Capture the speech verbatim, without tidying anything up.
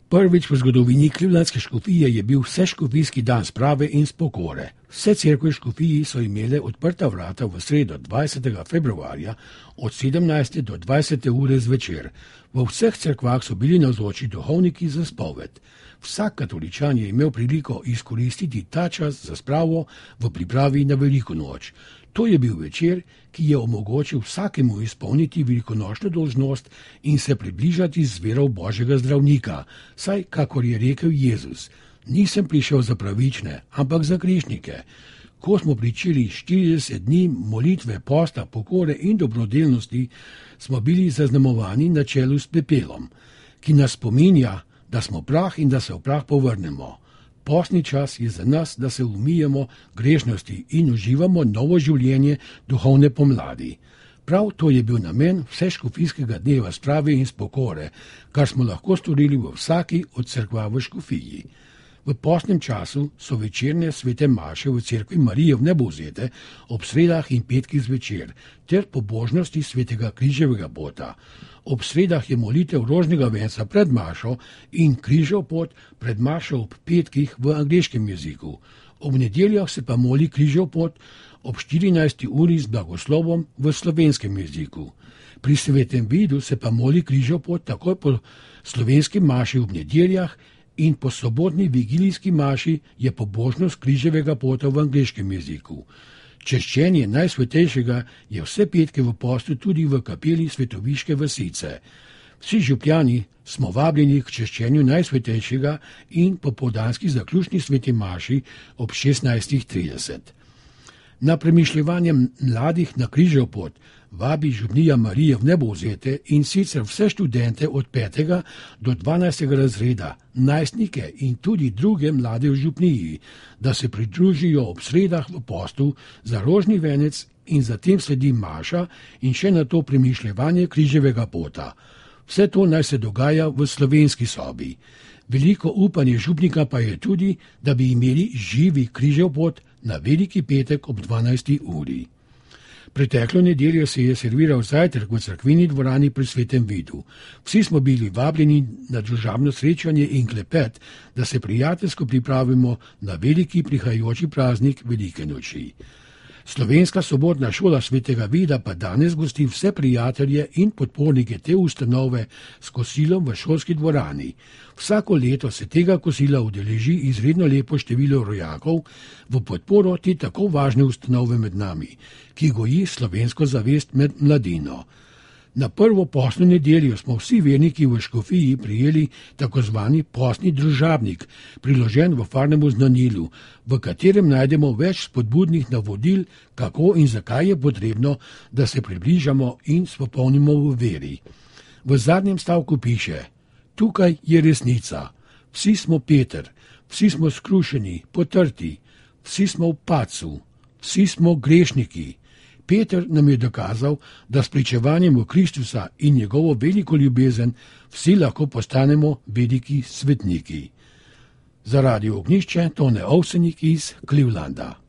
Prvič v zgodovini Clevelandske škofije je bil vseškofijski dan sprave in spokore. Vse cerkve v škofiji so imele odprta vrata v sredo dvajsetega februarja od sedemnajste do dvajsete ure zvečer. V vseh cerkvah so bili navzoči duhovniki za spoved. Vsak katoličan je imel priliko izkoristiti ta čas za spravo v pripravi na veliko noč. To je bil večer, ki je omogočil vsakemu izpolniti velikonočno dolžnost in se približati z vero Božjega zdravnika, saj, kakor je rekel Jezus, nisem prišel za pravične, ampak za grešnike. Ko smo pričeli štirideset dni molitve, posta, pokore in dobrodelnosti, smo bili zaznamovani na čelu s pepelom, ki nas spominja, da smo prah in da se v prah povrnemo. Postni čas je za nas, da se umijemo grešnosti in uživamo novo življenje duhovne pomladi. Prav to je bil namen vseškofijskega dneva sprave in spokore, kar smo lahko storili v vsaki od cerkva v škofiji. V postnem času so večerne svete maše v cerkvi Marije Vnebovzete ob sredah in petkih zvečer ter pobožnosti svetega križevega pota. Ob sredah je molitev rožnega venca pred mašo in križev pot pred mašo ob petkih v angleškem jeziku. Ob nedeljah se pa moli križev pot ob štirinajsti uri z blagoslovom v slovenskem jeziku. Pri svetem vidu se pa moli križev pot takoj po slovenski maši ob nedeljah in po sobotni vigilijski maši je pobožnost križevega pota v angleškem jeziku. Češčenje Najsvetejšega je vse petke v postu tudi v kapeli Svetoviške vasice. Vsi župljani smo vabljeni k češčenju Najsvetejšega in popoldanski zaključni sveti maši ob šestnajstih trideset. Na premišljevanje mladih na križev pot vabi župnija Marije Vnebovzete in sicer vse študente od petega do dvanajstega razreda, najstnike in tudi druge mlade v župniji, da se pridružijo ob sredah v postu za rožni venec in zatem sledi maša in še na to premišljevanje križevega pota. Vse to naj se dogaja v slovenski sobi. Veliko upanje župnika pa je tudi, da bi imeli živi križev pot na veliki petek ob dvanajsti uri. Preteklo nedeljo se je serviral zajtrk v cerkveni dvorani pri svetem vidu. Vsi smo bili vabljeni na družabno srečanje in klepet, da se prijateljsko pripravimo na veliki prihajajoči praznik velike noči. Slovenska sobotna šola svetega vida pa danes gosti vse prijatelje in podpornike te ustanove s kosilom v šolski dvorani. Vsako leto se tega kosila udeleži izredno lepo število rojakov v podporo te tako važne ustanove med nami, ki goji slovensko zavest med mladino. Na prvo postno nedeljo smo vsi verniki v škofiji prijeli tako zvani postni družabnik, priložen v farnemu znanilu, v katerem najdemo več spodbudnih navodil, kako in zakaj je potrebno, da se približamo in spopolnimo v veri. V zadnjem stavku piše: tukaj je resnica, vsi smo Peter, vsi smo skrušeni, potrti, vsi smo v padcu, vsi smo grešniki. Peter nam je dokazal, da s pričevanjem v Kristusa in njegovo veliko ljubezen vsi lahko postanemo veliki svetniki. Za Radio Ognjišče Tone Ovsenik iz Clevelanda.